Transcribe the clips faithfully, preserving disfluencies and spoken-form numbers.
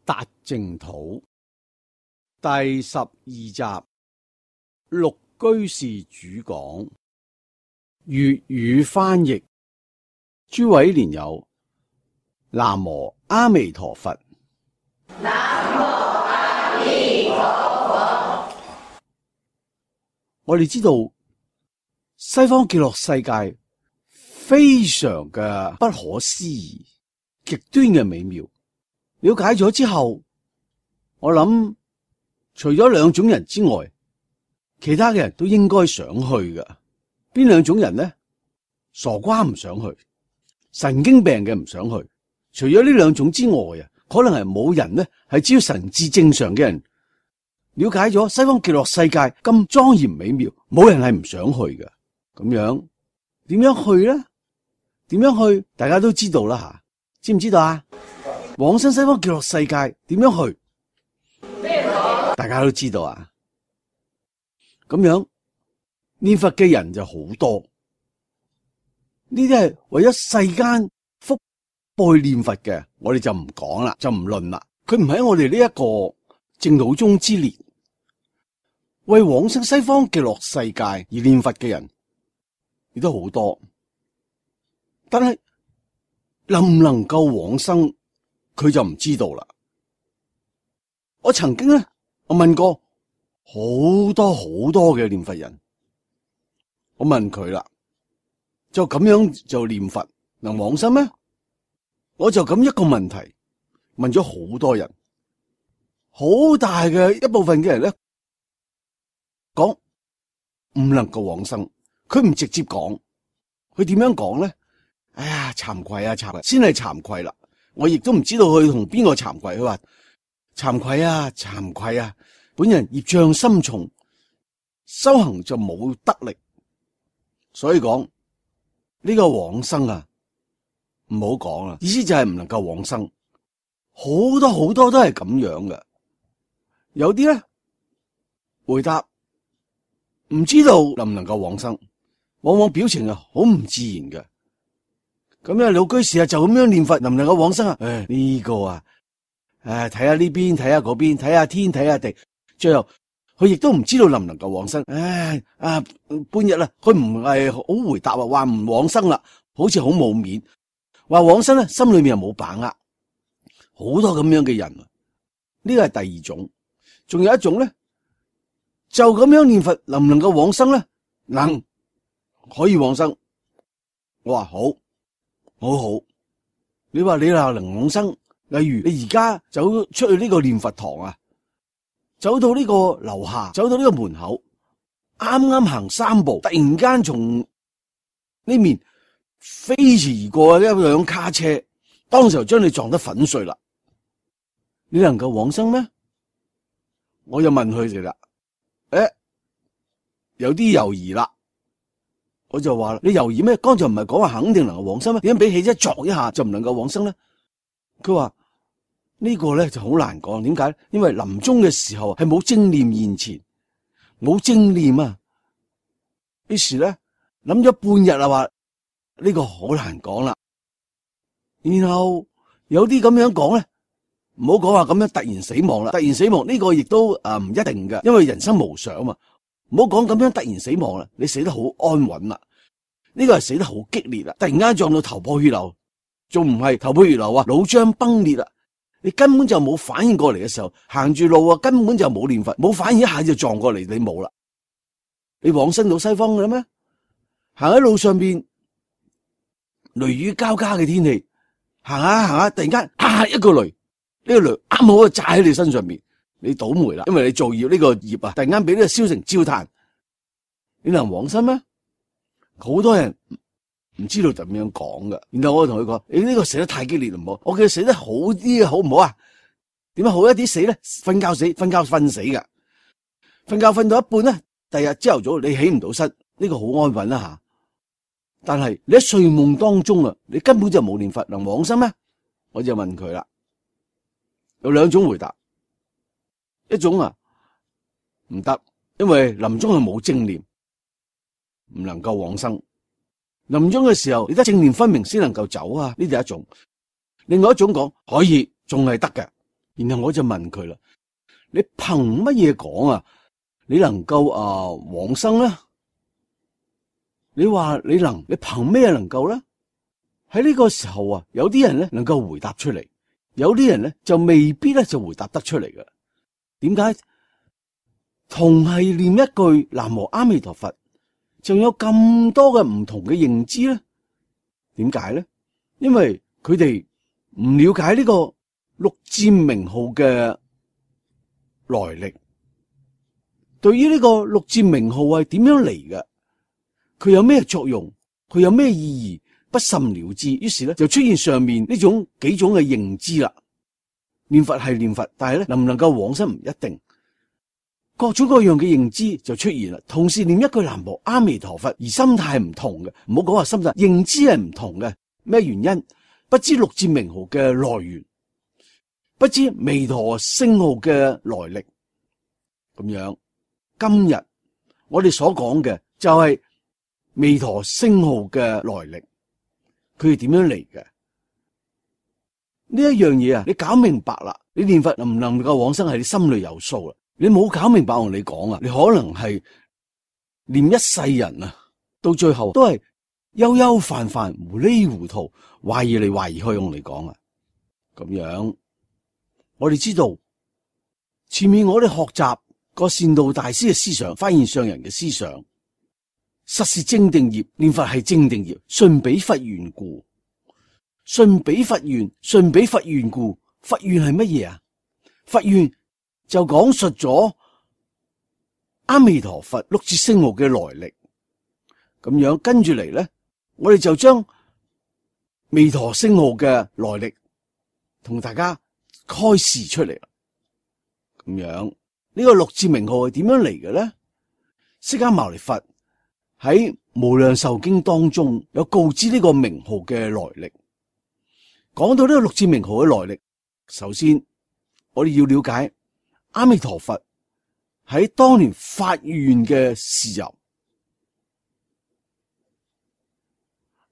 達淨土第十二集，陸居士主講，粵語翻譯。諸位蓮友，南無阿彌陀佛。南無阿彌陀佛。我哋知道西方極樂世界非常嘅不可思議，極端嘅美妙。了解咗之後，我諗除咗兩種人之外，其他嘅人都應該想去嘅。邊兩種人呢？傻瓜唔想去，神經病嘅唔想去。除咗呢兩種之外啊，可能係冇人呢，係只要神智正常嘅人了解咗西方極樂世界咁莊嚴美妙，冇人係唔想去嘅。咁樣點樣去呢？點樣去？大家都知道啦吓，知唔知道啊？往生西方極樂世界點樣去？大家都知道啊。咁樣念佛嘅人就好多，呢啲係為咗世間福報去念佛嘅，我哋就唔講啦，就唔論啦。佢唔喺我哋呢一個淨土宗之列，為往生西方極樂世界而念佛嘅人亦都好多，但係能唔能夠往生？佢就唔知道啦。我曾經咧，我問過好多好多嘅念佛人，我問佢啦，就咁樣就念佛能往生咩？我就咁一個問題問咗好多人，好大嘅一部分嘅人咧講唔能夠往生。佢唔直接講，佢點樣講咧？哎呀，慚愧啊，慚愧，先係慚愧啦。我亦都唔知道佢同邊個慚愧，佢話慚愧啊，慚愧啊，本人業障深重，修行就冇得力，所以講呢個往生啊，唔好講啦，意思就係唔能夠往生。好多好多都係咁樣嘅，有啲咧回答唔知道能唔能夠往生，往往表情啊好唔自然嘅。咁樣老居士啊，就咁樣念佛能唔能夠往生啊？誒，呢個啊，誒，睇下呢邊，睇下嗰邊，睇下天，睇下地，最後佢亦都唔知道能唔能夠往生。誒，啊，半日啦，佢唔係好回答啊，話唔往生啦，好似好冇面。話往生咧，心裏面又冇把握。好多咁樣嘅人，呢個係第二種。仲有一種咧，就咁樣念佛能唔能夠往生咧？能，可以往生。我話好。好好，你話你話能往生，例如你而家走出去呢個念佛堂啊，走到呢個樓下，走到呢個門口，啱啱行三步，突然間從呢面飛馳而過一輛卡車，當時就將你撞得粉碎啦。你能夠往生咩？我就問佢哋啦，誒，有啲猶豫啦。我就話你猶豫咩？剛才唔係講話肯定能夠往生咩？點解俾汽車撞一下就唔能夠往生咧？佢話呢個咧就好難講，點解？因為臨終嘅時候係冇正念現前，冇正念啊。於是咧諗咗半日啊，話呢個好難講啦。然後有啲咁樣講咧，唔好講話咁樣突然死亡啦，突然死亡呢個亦都誒唔一定嘅，因為人生無常啊嘛。唔好講咁樣突然死亡啦，你死得好安穩啦，呢個係死得好激烈啦，突然間撞到頭破血流，仲唔係頭破血流啊，腦漿崩裂啦，你根本就冇反應過嚟嘅時候，行住路啊，根本就冇念佛，冇反應一下就撞過嚟，你冇啦，你往生到西方嘅啦咩？行喺路上邊，雷雨交加嘅天氣，行下行下，突然間啊一個雷，呢個雷啱好啊炸喺你身上邊。你倒霉啦，因為你造業呢個業啊，突然間俾呢個燒成焦炭，你能往生咩？好多人唔知道點樣講噶。然後我同佢講：你呢個死得太激烈唔好，我叫佢死得好啲好唔好啊？點樣好一啲死咧？瞓覺死，瞓覺瞓死噶，瞓覺瞓到一半咧，第日朝頭早你起唔到身，呢個好安穩啦吓。但係你喺睡夢當中啊，你根本就冇念佛，能往生咩？我就問佢啦，有兩種回答。一種啊唔得，因為臨終係冇正念，唔能夠往生。臨終嘅時候，你得正念分明先能夠走啊，呢啲係一種。另外一種講可以，仲係得嘅，然後我就問佢啦，你憑乜嘢講啊？你能夠啊往生咧？你話你能，你憑咩能夠咧？喺呢個時候啊，有啲人咧能夠回答出嚟，有啲人咧就未必咧就回答得出嚟嘅。點解？同係念一句南無阿彌陀佛，仲有咁多嘅唔同嘅認知咧？點解咧？因為佢哋唔了解呢個六字名號嘅來歷，對於呢個六字名號係點樣嚟嘅，佢有咩作用，佢有咩意義，不甚了知，於是咧就出現上面呢種幾種嘅認知啦。念佛係念佛，但係咧能唔能夠往生唔一定，各種各樣嘅認知就出現啦。同時念一句南無阿彌陀佛，而心態唔同嘅，唔好講話心態，認知係唔同嘅。咩原因？不知六字名號嘅來源，不知彌陀聖號嘅來歷。咁樣，今日我哋所講嘅就係彌陀聖號嘅來歷，佢係點樣嚟嘅？呢一樣嘢啊，你搞明白啦，你念佛能唔能夠往生係你心裏有數啦。你冇搞明白我同你講啊，你可能係念一世人啊，到最後都係悠悠泛泛、糊裏糊塗、懷疑嚟懷疑去用嚟講啊。咁樣，我哋知道前面我哋學習個善導大師嘅思想，發現上人嘅思想，實是正定業，念佛係正定業，順彼佛緣故。順彼佛緣，順彼佛緣故，佛緣係乜嘢啊？佛緣就講述咗阿彌陀佛六字聖號嘅來歷。咁樣跟住嚟咧，我哋就將彌陀聖號嘅來歷同大家開示出嚟啦。咁樣呢個六字名號係點樣嚟嘅咧？釋迦牟尼佛喺無量壽經當中有告知呢個名號嘅來歷。講到呢個六字名號嘅來歷，首先我哋要了解阿彌陀佛喺當年發願嘅時候，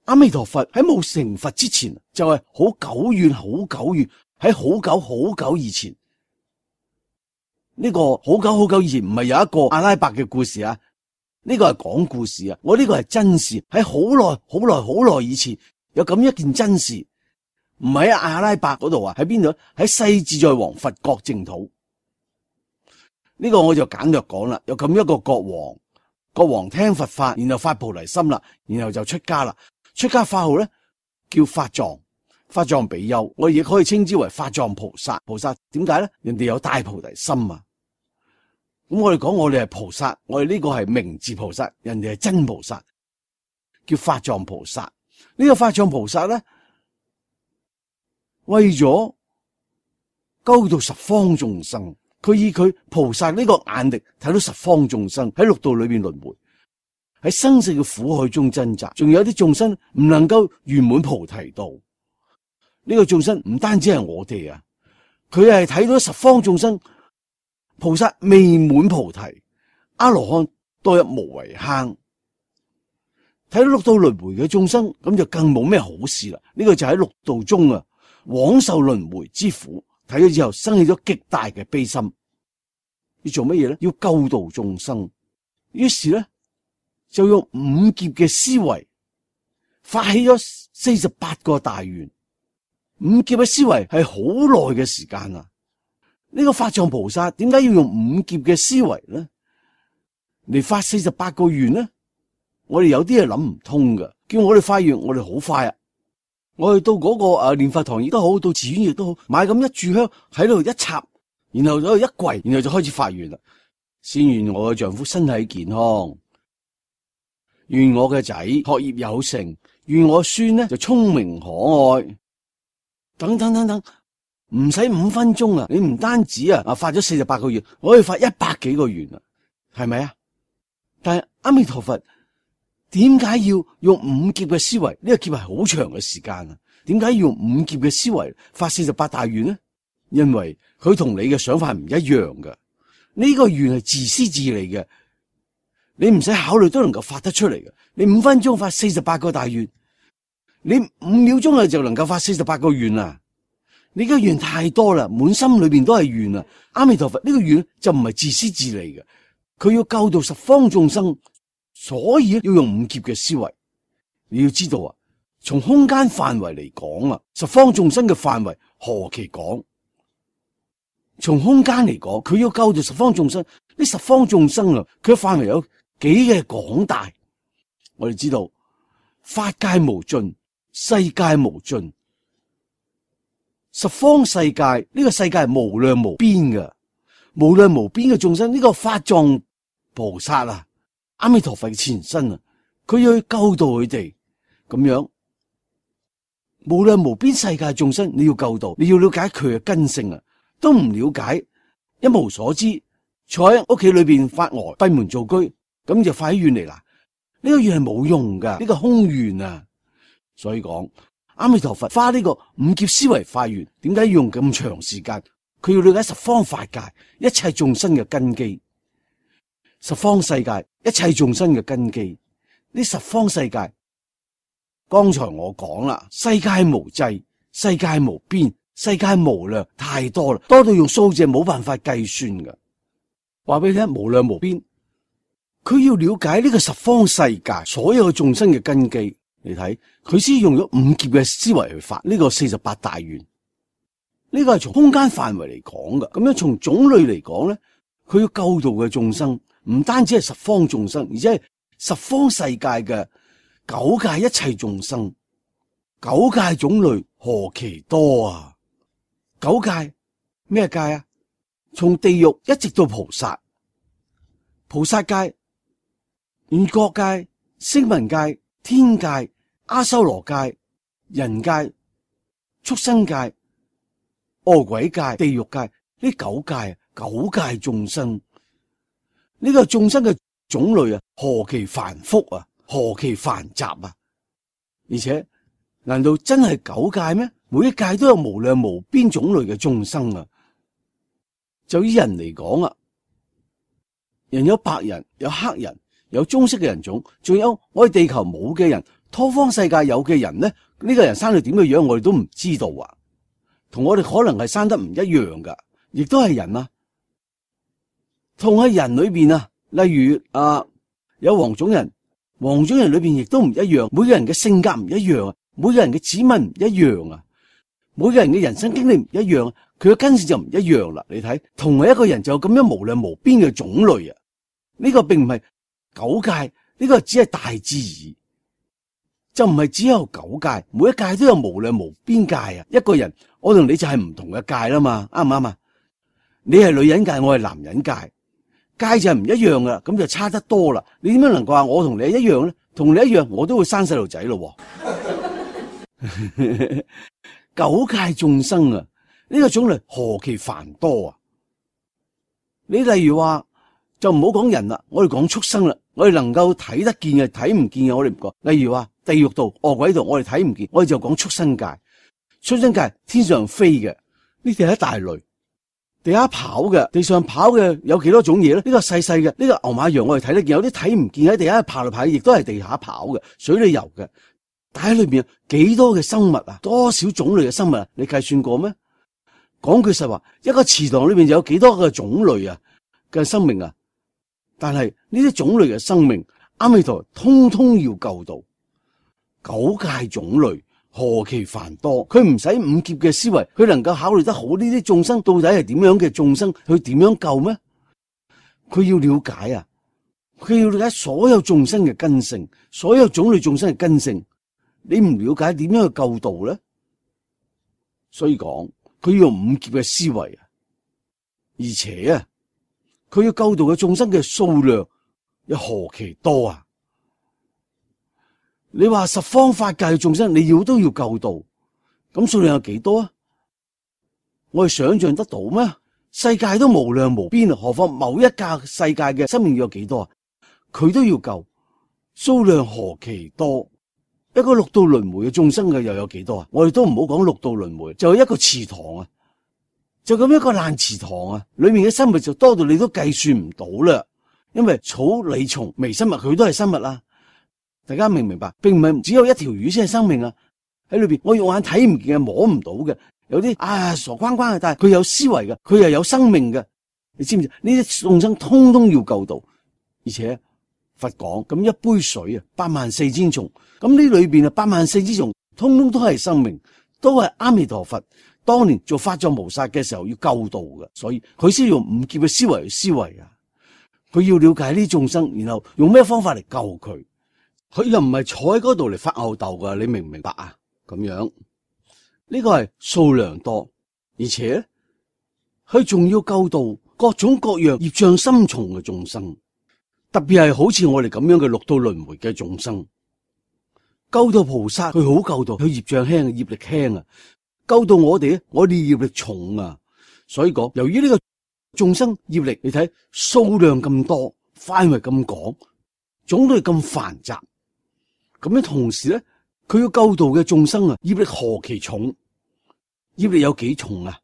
阿彌陀佛喺冇成佛之前，就係好久遠、好久遠，喺好久好久以前。呢個好久好久以前唔係有一個阿拉伯嘅故事啊，呢個係講故事啊，我呢個係真事，喺好耐好耐好耐以前有咁一件真事。唔係喺阿拉伯嗰度啊，喺邊度？喺世自在王佛國淨土。呢個我就簡略講啦。有咁一個國王，國王聽佛法，然後發菩提心啦，然後就出家啦。出家法號咧叫法藏，法藏比丘，我亦可以稱之為法藏菩薩。菩薩點解咧？人哋有大菩提心啊。咁我哋講我哋係菩薩，我哋呢個係名字菩薩，人哋係真菩薩，叫法藏菩薩。呢個法藏菩薩咧，為咗救度十方眾生，佢以佢菩薩呢個眼力睇到十方眾生喺六道裏邊輪迴，喺生死嘅苦海中掙扎，仲有啲眾生唔能夠圓滿菩提道。呢個眾生唔單止係我哋啊，佢係睇到十方眾生菩薩未滿菩提，阿羅漢墮入無為坑，睇到六道輪迴嘅眾生，咁就更冇咩好事啦。呢個就喺六道中啊，枉受輪迴之苦，睇咗之後生起咗極大嘅悲心，要做乜嘢咧？要救度眾生，於是咧就用五劫嘅思維發起咗四十八個大願。五劫嘅思維係好耐嘅時間啊！呢個法藏菩薩點解要用五劫嘅思維咧嚟發四十八個願咧？我哋有啲係諗唔通噶，叫我哋發願，我哋好快啊！我哋到嗰個誒念佛堂亦都好，到寺院亦都好，買咁一炷香喺度一插，然後喺度一跪，然後就開始發願啦。先願我嘅丈夫身體健康，願我嘅仔學業有成，願我孫呢就聰明可愛，等等等等，唔使五分鐘啊！你唔單止啊啊發咗四十八個願，我可以發一百幾個願啊，係咪啊？但係阿彌陀佛，點解要用五劫嘅思維？呢個劫係好長嘅時間啊！點解要用五劫嘅思維發四十八大願呢？因為佢同你嘅想法唔一樣㗎。呢個願係自私自利嘅，你唔使考慮都能夠發得出嚟嘅。你五分鐘發四十八個大願，你五秒鐘啊就能夠發四十八個願啊！你嘅願太多啦，滿心裏邊都係願啊！阿彌陀佛呢個願就唔係自私自利嘅，佢要救度十方眾生，所以要用五劫嘅思維。你要知道啊，從空間範圍嚟講啊，十方眾生嘅範圍何其廣。從空間嚟講，佢要救度十方眾生，呢十方眾生啊，佢嘅範圍有幾嘅廣大。我哋知道法界無盡，世界無盡。十方世界呢、這個世界係無量無邊嘅，無量無邊嘅眾生，呢、這個法藏菩薩啊，阿彌陀佛嘅前身啊，佢要去救度佢哋，咁樣無量無邊世界眾生，你要救度，你要了解佢嘅根性啊，都唔了解，一無所知，坐喺屋企裏邊發呆閉門造車，咁就發起願嚟啦。呢、這個願係冇用噶，呢、這個空願啊，所以講。阿彌陀佛花呢個五劫思維發願，點解要用咁長時間？佢要了解十方法界一切眾生嘅根基，十方世界一切眾生嘅根基。呢十方世界，剛才我講啦，世界無際，世界無邊，世界無量，太多啦，多到用數字冇辦法計算㗎。話俾你聽，無量無邊，佢要了解呢個十方世界所有眾生嘅根基。你睇佢先用咗五劫嘅思維去發呢個四十八大願，呢個係從空間範圍嚟講嘅。咁樣從種類嚟講咧，佢要救度嘅眾生唔單止係十方眾生，而且係十方世界嘅九界一切眾生。九界種類何其多啊！九界咩界啊？從地獄一直到菩薩、菩薩界、緣覺界、聲聞界、天界、阿修羅界、人界、畜生界、餓鬼界、地獄界，呢九界九界眾生，呢、這個眾生嘅種類啊，何其繁複啊，何其繁雜啊！而且，難道真係九界咩？每一界都有無量無邊種類嘅眾生啊！就以人嚟講啊，人有白人，有黑人，有棕色嘅人種，仲有我哋地球冇嘅人，多方世界有嘅人咧，呢、這個人生到點嘅樣，我哋都唔知道啊。同我哋可能係生得唔一樣噶，亦都係人啊。同喺人裏邊啊，例如啊，有黃種人，黃種人裏邊亦都唔一樣，每個人嘅性格唔一樣啊，每個人嘅指紋唔一樣啊，每個人嘅人生經歷唔一樣，佢嘅根性就唔一樣啦。你睇，同係一個人就有咁樣無量無邊嘅種類啊，呢、這個並唔係九界，呢、這個只係大致而已。就唔係只有九界，每一界都有無量無邊界啊！一個人，我同你就係唔同嘅界啦嘛，啱唔啱啊？你係女人界，我係男人界，界就係唔一樣噶啦，咁就差得多啦。你點樣能夠話我同你一樣咧？同你一樣，我都會生細路仔咯。九界眾生啊，呢個種類何其繁多啊！你例如話，就唔好講人啦，我哋講畜生啦，我哋能夠睇得見嘅、睇唔見嘅，我哋唔講。例如話地獄度、餓鬼度，我哋睇唔見，我哋就講畜生界。畜生界天上飛嘅，呢啲係一大類；地下跑嘅，地上跑嘅有幾多種嘢咧？呢個細細嘅，呢個牛馬羊我哋睇得見，有啲睇唔見喺地下爬嚟爬去，亦都係地下跑嘅，水裏游嘅。但喺裏邊幾多嘅生物啊？多少種類嘅生物啊？你計算過咩？講句實話，一個池塘裏邊有幾多個種類啊嘅生命啊？但係呢啲種類嘅生命，阿彌陀通通要救度。九界種類何其繁多，佢唔使五劫嘅思維，佢能夠考慮得好呢啲眾生到底係點樣嘅眾生，佢點樣救咩？佢要了解啊，佢要了解所有眾生嘅根性，所有種類眾生嘅根性。你唔了解點樣去救度咧？所以講佢要用五劫嘅思維啊，而且啊。佢要救度嘅眾生嘅數量有何其多啊！你話十方法界嘅眾生，你要都要救度，咁數量有幾多啊？我哋想象得到咩？世界都無量無邊啊，何況某一格世界嘅生命要有幾多啊？佢都要救，數量何其多！一個六道輪迴嘅眾生嘅又有幾多啊？我哋都唔好講六道輪迴，就係一個池塘啊！就咁一個爛池塘啊，裏面嘅生物就多到你都計算唔到啦。因為草、理、蟲、微生物佢都係生物啦。大家明唔明白？並唔係只有一條魚先係生命啊。喺裏邊我肉眼睇唔見嘅、摸唔到嘅，有啲啊傻關關嘅，但係佢有思維嘅，佢又有生命嘅。你知唔知？呢啲眾生通通要救度，而且佛講咁一杯水啊，八萬四千蟲，咁呢裏邊啊八萬四千蟲，通通都係生命，都係阿彌陀佛當年做法藏菩薩嘅時候要救度嘅，所以佢先用五劫嘅思維去思維啊。佢要了解呢啲眾生，然後用咩方法嚟救佢。佢又唔係坐喺嗰度嚟發吽哣噶，你明唔明白啊？咁樣呢個係數量多，而且佢仲要救度各種各樣業障深重嘅眾生，特別係好似我哋咁樣嘅六道輪迴嘅眾生。救到菩薩，佢好救到，佢業障輕，業力輕啊。救到我哋咧，我哋業力重啊。所以講，由於呢個眾生業力，你睇數量咁多，範圍咁廣，種類咁繁雜，咁樣同時咧，佢要救度嘅眾生啊，業力何其重？業力有幾重啊？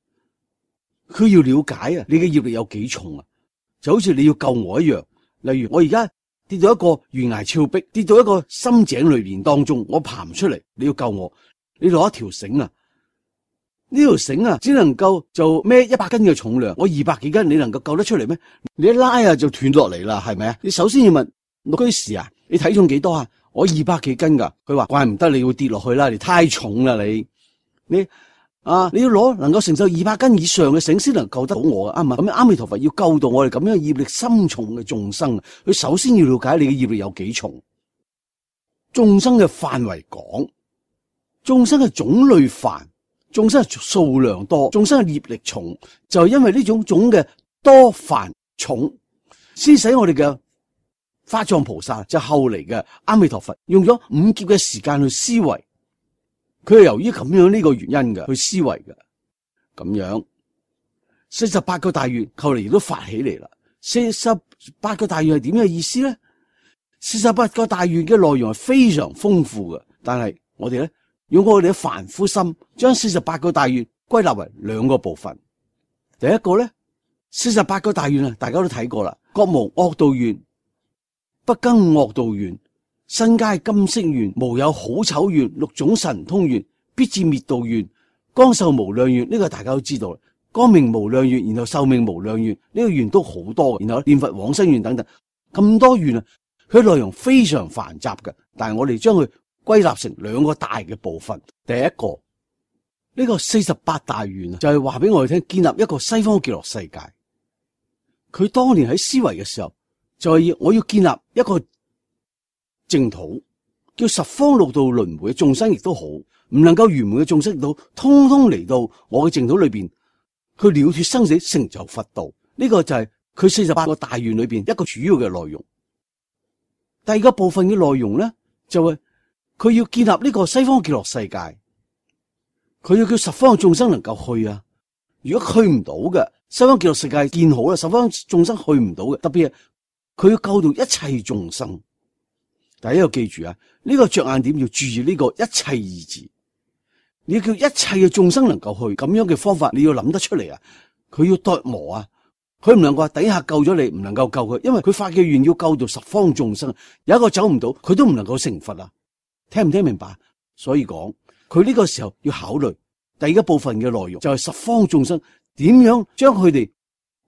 佢要了解啊，你嘅業力有幾重啊？就好似你要救我一樣。例如我而家跌到一個懸崖峭壁，跌到一個深井裏邊當中，我爬唔出嚟，你要救我，你攞一條繩啊，呢條繩啊只能夠就孭一百斤嘅重量，我二百幾斤，你能夠救得出嚟咩？你一拉啊就斷落嚟啦，係咪啊？你首先要問六居士啊，你體重幾多啊？我二百幾斤噶，佢話怪唔得你會跌落去啦，你太重啦你，你啊你要攞能夠承受二百斤以上嘅繩先能救得到我啊，啱嘛？咁阿彌陀佛要救到我哋咁樣業力深重嘅眾生，佢首先要了解你嘅業力有幾重，眾生嘅範圍廣，眾生嘅種類繁，眾生係數量多，眾生嘅業力重，就係因為呢種種嘅多繁重，先使我哋嘅法藏菩薩就後嚟嘅阿彌陀佛用咗五劫嘅時間去思維，佢係由於咁樣呢個原因嘅去思維嘅，咁樣四十八個大願後嚟亦都發起嚟啦。四十八個大願係點嘅意思咧？四十八個大願嘅內容係非常豐富嘅，但係我哋咧用我哋嘅凡夫心，將四十八個大願歸納為兩個部分。第一個咧，四十八個大願啊，大家都睇過啦，國無惡道願，不更惡道願，身皆金色願，無有好醜願，六種神通願，必至滅道願，光壽無量願，呢個大家都知道啦。光明無量願，然後壽命無量願，呢個願都好多，然後念佛往生願等等，咁多願啊，佢內容非常繁雜嘅，但係我哋將佢歸納成兩個大嘅部分。第一個呢個四十八大願啊，就係話俾我哋聽，建立一個西方極樂世界。佢當年喺思維嘅時候，就係要我要建立一個淨土，叫十方六道輪迴嘅眾生亦都好，唔能夠圓滿嘅眾生亦都通通嚟到我嘅淨土裏邊，去了脫生死，成就佛道。呢個就係佢四十八個大願裏邊一個主要嘅內容。第二個部分嘅內容咧，就係佢要建立呢個西方極樂世界，佢要叫十方嘅眾生能夠去啊。如果去唔到嘅，西方極樂世界建好啦，十方眾生去唔到嘅，特別係佢要救到一切眾生。第一個記住啊，呢個着眼點要注意呢個一切二字，你要叫一切嘅眾生能夠去，咁樣嘅方法你要諗得出嚟啊。佢要琢磨啊，佢唔能夠話底下救咗你，唔能夠救佢，因為佢發嘅願要救到十方眾生，有一個走唔到，佢都唔能夠成佛啊。聽唔聽明白？所以講佢呢個時候要考慮第二個部分嘅內容，就係十方眾生點樣將佢哋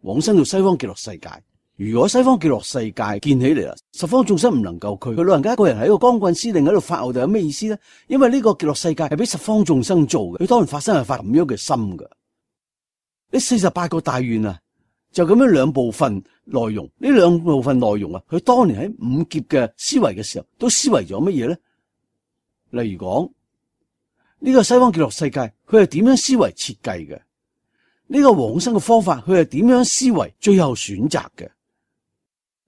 往生到西方極樂世界。如果西方極樂世界建起嚟啦，十方眾生唔能夠佢，佢老人家一個人喺個光棍司令喺度發吽哣，有咩意思咧？因為呢個極樂世界係俾十方眾生做嘅，佢當然發生係發咁樣嘅心噶。呢四十八個大願啊，就咁樣兩部分內容，呢兩部分內容啊，佢當年喺五劫嘅思維嘅時候，都思維咗乜嘢咧？例如講呢個西方極樂世界，佢係點樣思維設計嘅？呢個往生嘅方法，佢係點樣思維最後選擇嘅？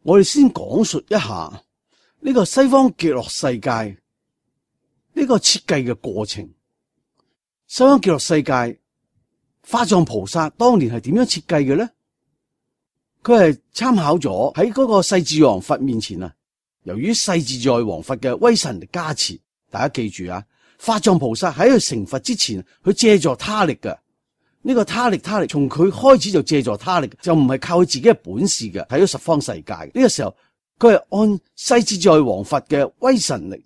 我哋先講述一下呢個西方極樂世界呢個設計嘅過程。西方極樂世界，法藏菩薩當年係點樣設計嘅咧？佢係參考咗喺嗰個世自在王佛面前啊，由於世自在王佛嘅威神力加持，大家記住啊，法藏菩薩喺佢成佛之前，佢借助他力嘅。呢個他力他力，從佢開始就借助他力，就唔係靠佢自己嘅本事嘅。睇咗十方世界呢個時候，佢係按世自在王佛嘅威神力，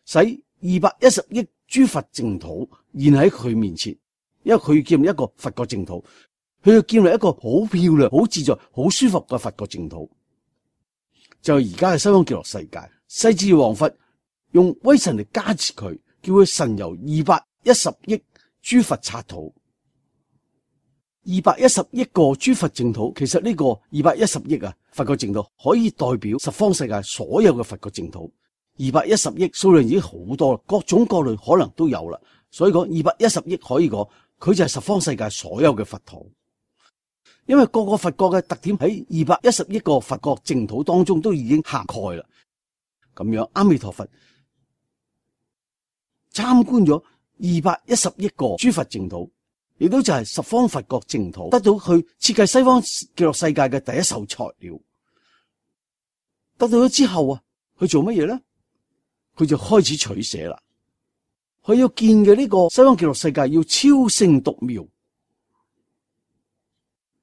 使二百一十億諸佛淨土現喺佢面前，因為佢要建立一個佛國淨土，佢要建立一個好漂亮、好自在、好舒服嘅佛國淨土。就係而家嘅西方極樂世界，勢至王佛用威神嚟加持佢，叫佢神遊二百一十億諸佛剎土。二百一十億個諸佛淨土，其實呢個二百一十億啊佛國淨土可以代表十方世界所有嘅佛國淨土。二百一十億數量已經好多啦，各種各類可能都有啦。所以講二百一十億可以講，佢就係十方世界所有嘅佛土。因為各個佛國嘅特點喺二百一十億個佛國淨土當中都已經涵蓋啦。咁樣阿彌陀佛參觀咗二百一十億個諸佛淨土，亦都就係十方佛國淨土，得到去設計西方極樂世界嘅第一手材料。得到咗之後啊，去做乜嘢咧？佢就開始取捨啦。佢要建嘅呢個西方極樂世界要超勝獨妙，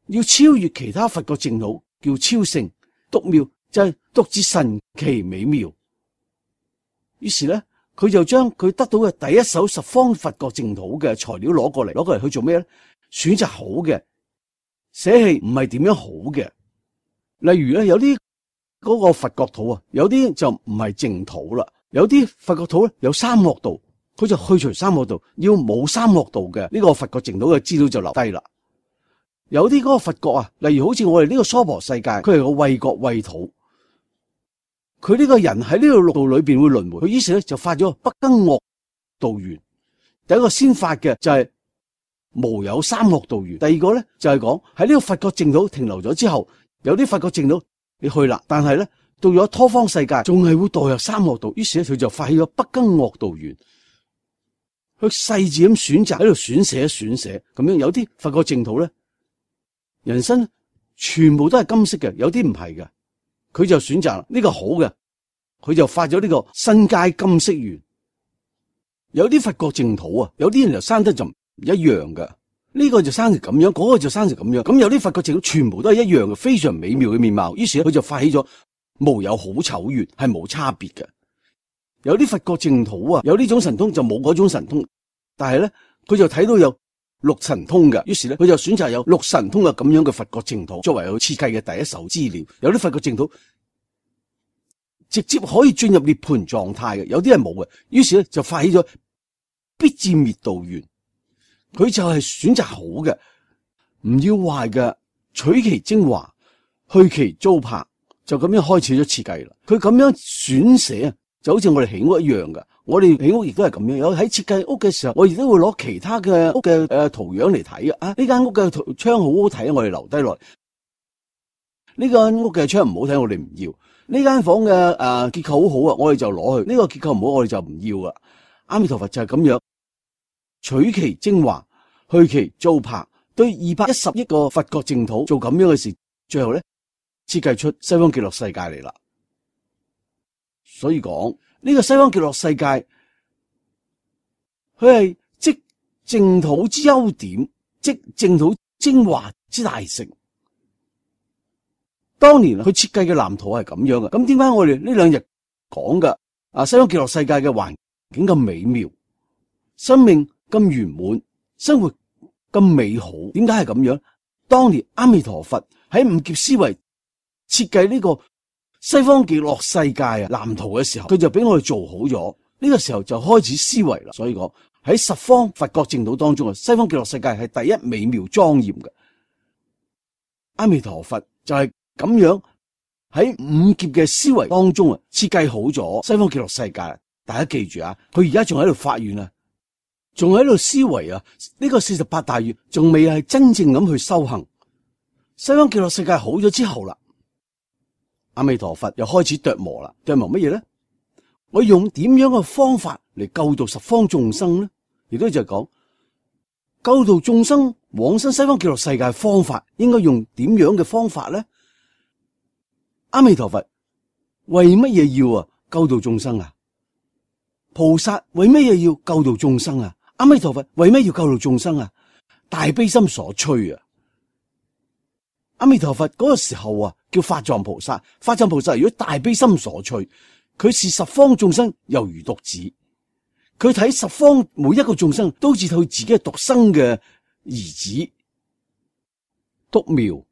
要超越其他佛國淨土，叫超勝獨妙，就係獨自神奇美妙。於是咧，佢就將佢得到嘅第一手十方佛國淨土嘅材料攞過嚟，攞過嚟去做咩咧？選擇好嘅，捨棄唔係點樣好嘅。例如咧，有啲嗰個佛國土啊，有啲就唔係淨土啦，有啲佛國土咧有三惡道，佢就去除三惡道，要冇三惡道嘅呢個佛國淨土嘅資料就留低啦。有啲嗰個佛國啊，例如好似我哋呢個娑婆世界，佢係個畏國畏土，佢呢個人喺呢個六道裏邊會輪迴，佢於是咧就發咗不更惡道緣。第一個先發嘅就係無有三惡道緣，第二個咧就係講喺呢個佛國淨土停留咗之後，有啲佛國淨土你去啦，但係咧到咗他方世界仲係會墮入三惡道，於是咧佢就發起咗不更惡道緣，佢細緻咁選擇喺度選捨選捨咁樣。有啲佛國淨土咧，人生全部都係金色嘅，有啲唔係嘅，佢就選擇呢個好嘅，佢就發咗呢個身皆金色緣。有啲佛國淨土啊，有啲人就生得就唔一樣嘅，呢個就生成咁樣，嗰個就生成咁樣。咁有啲佛國淨土全部都係一樣嘅，非常美妙嘅面貌，於是佢就發起咗無有好醜緣，係冇差別嘅。有啲佛國淨土啊，有呢種神通就冇嗰種神通，但係咧佢就睇到有六神通嘅，於是咧佢就選擇有六神通嘅咁樣嘅佛國淨土作為佢設計嘅第一手資料。有啲佛國淨土直接可以進入涅槃狀態嘅，有啲係冇嘅，於是咧就發起咗必至滅道緣。佢就係選擇好嘅，唔要壞嘅，取其精華，去其糟粕，就咁樣開始咗設計啦。佢咁樣選捨就好似我哋起屋一樣嘅。我哋起屋亦都係咁樣，有喺設計屋嘅時候，我亦都會攞其他嘅屋嘅誒圖樣嚟睇啊！呢間屋嘅窗好好睇，我哋留低落嚟。呢間屋嘅窗唔好睇，我哋唔要。呢間房嘅誒、呃、結構好好啊，我哋就攞去。呢、這個結構唔好，我哋就唔要啦。阿彌陀佛就係咁樣，取其精華，去其糟粕，對二百一十億個佛國淨土做咁樣嘅事，最後咧設計出西方極樂世界嚟啦。所以講呢、這個西方極樂世界，佢係即淨土之優點，即淨土精華之大成。當年佢設計嘅藍圖係咁樣嘅，咁點解我哋呢兩日講嘅啊西方極樂世界嘅環境咁美妙，生命咁圓滿，生活咁美好？點解係咁樣？當年阿彌陀佛喺五劫思維設計呢個西方極樂世界啊藍圖嘅時候，佢就俾我哋做好咗。呢個時候就開始思維啦。所以講喺十方佛國淨土當中啊，西方極樂世界係第一美妙莊嚴嘅。阿彌陀佛就係咁樣喺五劫嘅思維當中啊，設計好咗西方極樂世界。大家記住啊，佢而家仲喺度發願啊，仲喺度思維啊，呢個四十八大願仲未係真正咁去修行。西方極樂世界好咗之後啦，阿彌陀佛又開始琢磨啦，琢磨乜嘢咧？我用點樣嘅方法嚟救度十方眾生咧？亦都就係講救度眾生往生西方極樂世界嘅方法，應該用點樣嘅方法咧？阿彌陀佛為乜嘢要啊救度眾生啊？菩薩為乜嘢要救度眾生啊？阿彌陀佛為乜要救度眾生啊？大悲心所趨啊！阿彌陀佛嗰個時候啊，叫法藏菩薩。法藏菩薩如果大悲心所趨，佢視十方眾生猶如獨子，佢睇十方每一個眾生都好似佢自己係獨生嘅兒子，獨苗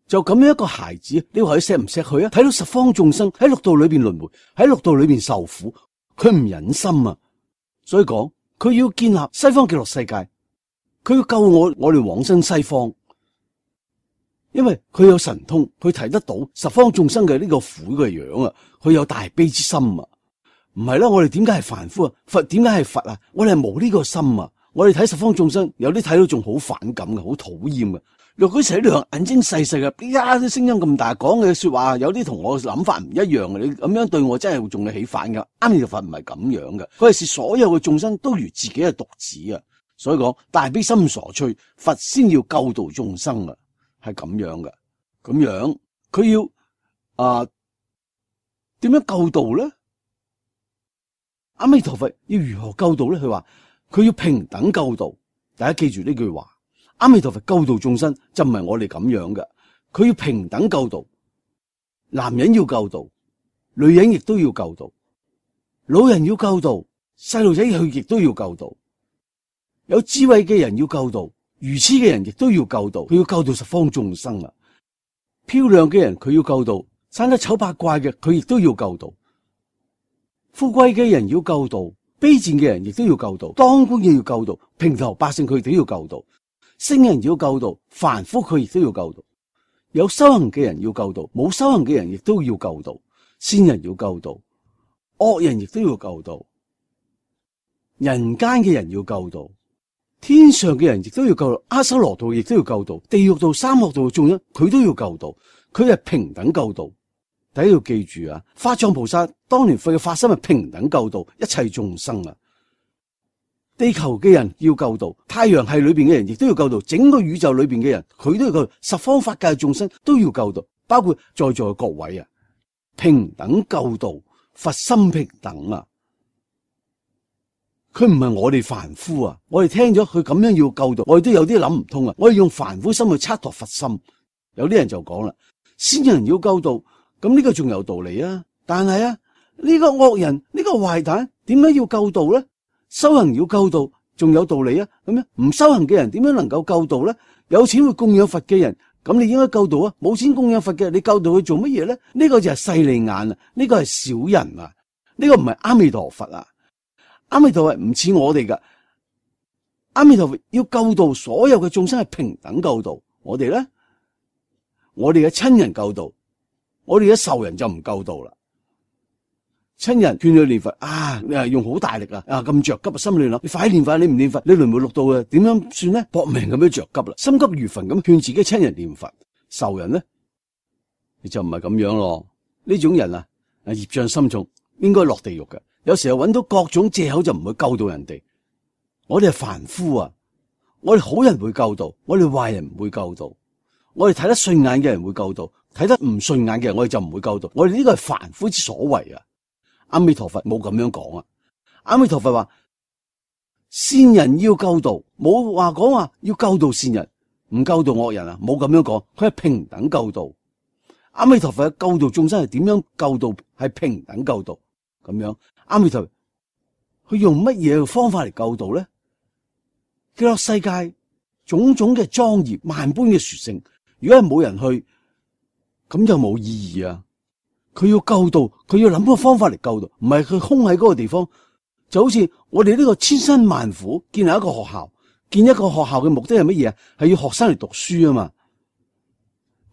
就咁樣一個孩子，你話佢錫唔錫佢啊？睇到十方眾生喺六道裏邊輪迴，喺六道裏邊受苦，佢唔忍心啊！所以講佢要建立西方極樂世界，佢要救我，我哋往生西方。因為佢有神通，佢睇得到十方眾生嘅呢個苦嘅樣啊，佢有大悲之心啊。唔係啦，我哋點解係凡夫啊？佛點解係佛啊？我哋係冇呢個心啊！我哋睇十方眾生，有啲睇到仲好反感嘅，好討厭嘅。若果成日兩眼睛細細嘅，依家啲聲音咁大，講嘅說話有啲同我諗法唔一樣嘅，你咁樣對我真係會仲係起反噶。阿彌陀佛唔係咁樣嘅，佢係視所有嘅眾生都如自己嘅獨子啊。所以講大悲心所趨，佛先要救度眾生啊。係咁樣嘅，咁樣佢要啊點樣救度咧？阿彌陀佛要如何救度咧？佢話佢要平等救度。大家記住呢句話，阿彌陀佛救度眾生就唔係我哋咁樣嘅，佢要平等救度。男人要救度，女人亦都要救度，老人要救度，細路仔佢亦都要救度，有智慧嘅人要救度，愚痴嘅人亦都要救度，佢要救度十方眾生啊！漂亮嘅人佢要救度，生得醜八怪嘅佢亦都要救度，富貴嘅人要救度，卑賤嘅人亦都要救度，當官嘅要救度，平頭百姓佢都要救度，聖人要救度，凡夫佢亦都要救度，有修行嘅人要救度，冇修行嘅人亦都要救度，善人要救度，惡人亦都要救度，人間嘅人要救度。天上嘅人亦都要救度，阿修羅道亦都要救度，地獄道、三惡道嘅眾生佢都要救度，佢係平等救度。大家要記住啊，法藏菩薩當年佢嘅發心係平等救度一切眾生啊。地球嘅人要救度，太陽系裏邊嘅人亦都要救度，整個宇宙裏邊嘅人佢都要救度，十方法界嘅眾生都要救度，包括在座嘅各位啊，平等救度，佛心平等啊。佢唔係我哋凡夫啊！我哋聽咗佢咁樣要救度，我哋都有啲諗唔通啊！我哋用凡夫心去測度佛心，有啲人就講啦，先人要救度，咁呢個仲有道理啊！但係啊，呢個惡人呢個壞蛋點解要救度咧？修行要救度，仲有道理啊！咁樣唔修行嘅人點樣能夠救度咧？有錢會供養佛嘅人，咁你應該救度啊！冇錢供養佛嘅，你救度佢做乜嘢咧？呢個就係勢利眼啊！呢個係小人啊！呢個唔係阿彌陀佛啊！阿彌陀佛唔似我哋噶，阿彌陀佛要救度所有嘅眾生係平等救度。我哋咧，我哋嘅親人救度，我哋嘅仇人就唔救度啦。親人勸佢念佛啊，你係用好大力啊，啊咁着急啊，心亂諗，你快啲念佛，你唔念佛，你輪迴六道啊，點樣算咧？搏命咁樣着急啦，心急如焚咁勸自己親人念佛，仇人咧，你就唔係咁樣咯。呢種人啊，啊業障深重，應該落地獄嘅。有時候揾到各種借口就唔會救到人哋。我哋係凡夫啊，我哋好人會救到，我哋壞人唔會救到。我哋睇得順眼嘅人會救到，睇得唔順眼嘅人我哋就唔會救到。我哋呢個係凡夫之所為啊。阿彌陀佛冇咁樣講啊。阿彌陀佛話善人要救度，冇話講話要救度善人，唔救度惡人啊，冇咁樣講。佢係平等救度。阿彌陀佛嘅救度眾生係點樣救度？係平等救度咁樣。阿彌陀佛佢用乜嘢方法嚟救度咧？極樂世界種種嘅莊嚴萬般嘅殊勝，如果係冇人去，咁就冇意義啊！佢要救度，佢要諗個方法嚟救度，唔係佢空喺嗰個地方。就好似我哋呢個千辛萬苦建立一個學校，建一個學校嘅目的係乜嘢啊？係要學生嚟讀書啊嘛！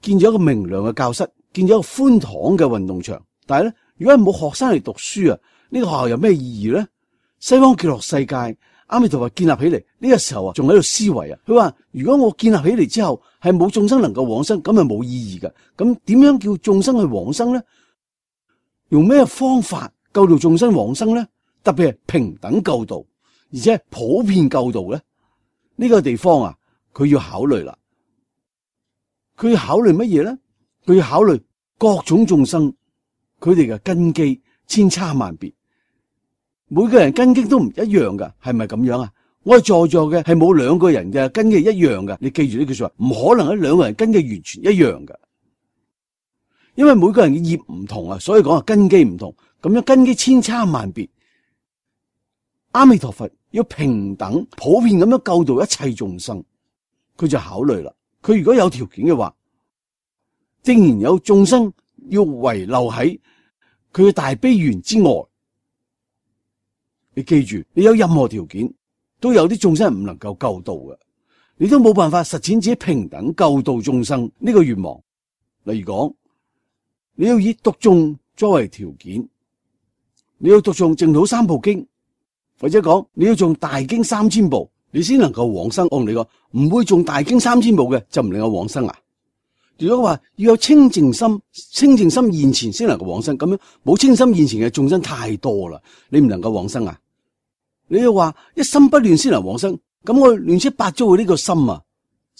建咗一個明亮嘅教室，建咗一個寬敞嘅運動場，但係咧，如果係冇學生嚟讀書啊，呢個學校有咩意義咧？西方極樂世界，阿彌陀佛建立起嚟，呢個時候啊，仲喺度思維啊。佢話如果我建立起嚟之後，係冇眾生能夠往生，咁係冇意義嘅。咁點樣叫眾生去往生咧？用咩方法救度眾生往生咧？特別係平等救度，而且係普遍救度咧？呢個地方啊，佢要考慮啦。佢要考慮乜嘢咧？佢要考慮各種眾生，佢哋嘅根基千差萬別，每個人根基都唔一樣噶，係咪咁樣啊？我哋在座嘅係冇兩個人嘅根基一樣噶，你記住呢句說話，唔可能喺兩個人根基完全一樣噶，因為每個人嘅業唔同啊，所以講啊根基唔同，咁樣根基千差萬別。阿彌陀佛要平等普遍咁樣救度一切眾生，佢就考慮啦。佢如果有條件嘅話，既然有眾生要遺留喺佢嘅大悲願之外，你記住，你有任何條件，都有啲眾生唔能夠救度嘅，你都冇辦法實踐自己平等救度眾生呢個願望。例如講，你要以讀誦作為條件，你要讀誦淨土三部經，或者講你要誦大經三千部，你先能夠往生。我同你講，唔會誦大經三千部嘅就唔能夠往生啊！如果話要有清淨心，清淨心現前先能夠往生，咁樣冇清心現前嘅眾生太多啦，你唔能夠往生啊！你要話一心不亂先能往生，咁我亂七八糟嘅呢個心啊，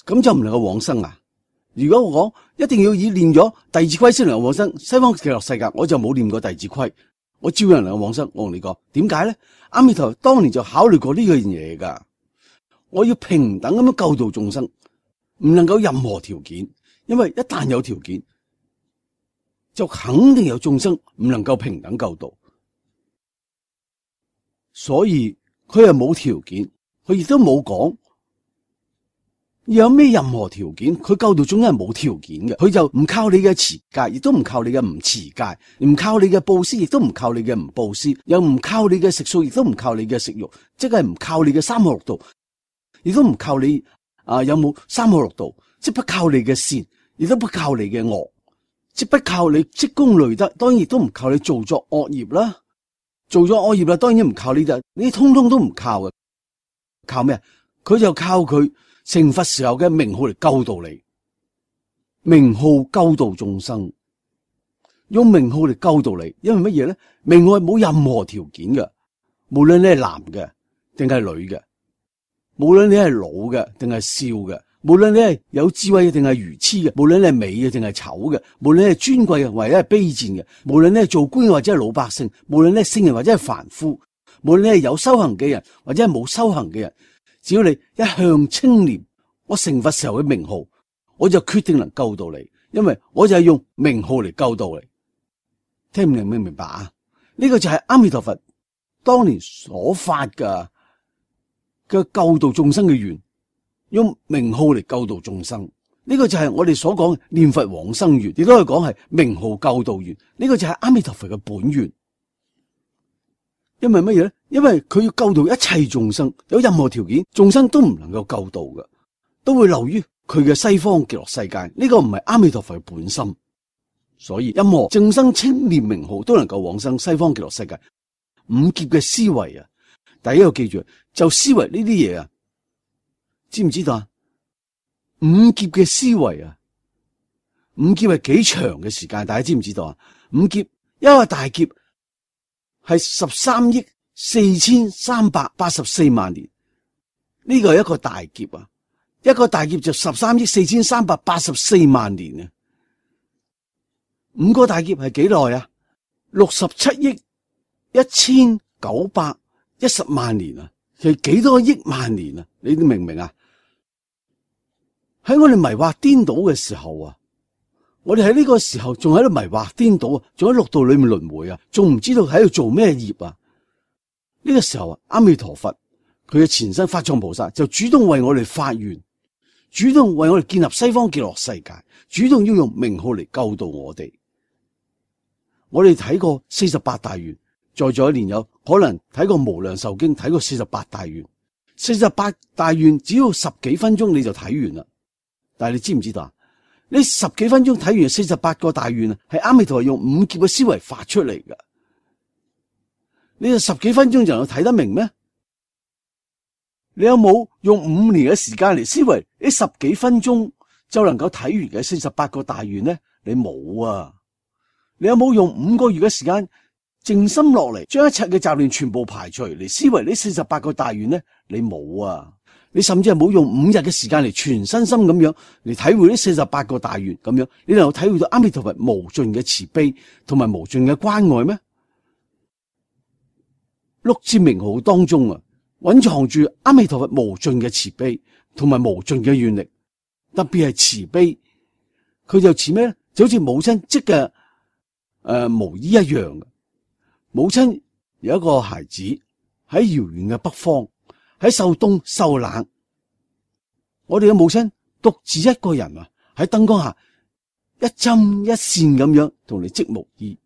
咁就唔能夠往生啊！如果我講一定要以念咗弟子規先能夠往生，西方極樂世界我就冇念過弟子規，我照樣能夠往生。我同你講，點解咧？阿彌陀佛當年就考慮過呢樣嘢噶，我要平等咁樣救度眾生，唔能夠任何條件。因為一旦有條件，就肯定有眾生唔能夠平等救度，所以佢係冇條件，佢亦都冇講有咩任何條件，佢救度眾生係冇條件嘅，佢就唔靠你嘅持戒，亦都唔靠你嘅唔持戒，唔靠你嘅布施，亦都唔靠你嘅唔布施，又唔靠你嘅食素，亦都唔靠你嘅食肉，即係唔靠你嘅三學六道，亦都唔靠你啊有冇三學六道，即不靠你嘅善。亦都不靠你嘅惡，即不靠你積功累德，當然亦都唔靠你做作惡業啦。做咗惡業啦，當然唔靠呢啲，呢啲通通都唔靠嘅。靠咩？佢就靠佢成佛時候嘅名號嚟救度你，名號救度眾生，用名號嚟救度你。因為乜嘢咧？名號係冇任何條件嘅，無論你係男嘅定係女嘅，無論你係老嘅定係少嘅。無論你係有智慧嘅定係愚痴嘅，無論你係美嘅定係醜嘅，無論你係尊貴嘅或者係卑賤嘅，無論你係做官或者係老百姓，無論你係聖人或者係凡夫，無論你係有修行嘅人或者係冇修行嘅人，只要你一向清廉，我成佛時候嘅名號，我就決定能救到你，因為我就係用名號嚟救到你。聽唔明明唔明白啊？呢個就係阿彌陀佛當年所發嘅嘅救度眾生嘅願。用名號嚟救度眾生，呢個就係我哋所講嘅念佛往生願，亦都可以講係名號救度願。呢個就係阿彌陀佛嘅本願。因為乜嘢咧？因為佢要救度一切眾生，有任何條件，眾生都唔能夠救度嘅，都會流於佢嘅西方極樂世界。呢個唔係阿彌陀佛嘅本心，所以任何眾生稱念名號都能夠往生西方極樂世界。五劫嘅思維啊，第一個記住，就思維呢啲嘢啊。知唔知道啊？五劫嘅思維啊，五劫係幾長嘅時間？大家知唔知道啊？五劫一個大劫係十三億四千三百八十四萬年，呢個係一個大劫啊！一個大劫就十三億四千三百八十四萬年啊！五個大劫係幾耐啊？六十七億一千九百一十萬年啊！其實幾多億萬年啊？你都明唔明啊？喺我哋迷惑顛倒嘅時候啊，我哋喺呢個時候仲喺度迷惑顛倒啊，仲喺六道裏面輪迴啊，仲唔知道喺度做咩業啊？呢個時候啊，阿彌陀佛佢嘅前身法藏菩薩就主動為我哋發願，主動為我哋建立西方極樂世界，主動要用名號嚟救度我哋。我哋睇過四十八大願，在座一年有可能睇過無量壽經，睇過四十八大願。四十八大願只要十幾分鐘你就睇完啦。但係你知唔知道啊？呢十幾分鐘睇完四十八個大願啊，係阿彌陀佛用五劫嘅思維發出嚟噶。你十幾分鐘就能夠睇得明咩？你有冇用五年嘅時間嚟思維呢十幾分鐘就能夠睇完嘅四十八個大願呢？你冇啊！你有冇用五個月嘅時間靜心落嚟，將一切嘅雜念全部排除嚟思維呢四十八個大願呢？你冇啊！你甚至係冇用五日嘅時間嚟全身心咁樣嚟體會呢四十八個大願咁樣，你能夠體會到阿彌陀佛無盡嘅慈悲同埋無盡嘅關愛咩？六字名號當中啊，蘊藏住阿彌陀佛無盡嘅慈悲同埋無盡嘅願力，特別係慈悲，佢就似咩咧？就好似母親織嘅誒毛衣一樣嘅。母親有一個孩子喺遙遠嘅北方，喺受凍受冷，我哋嘅母親獨自一個人啊，喺燈光下一針一線咁樣同你織毛衣，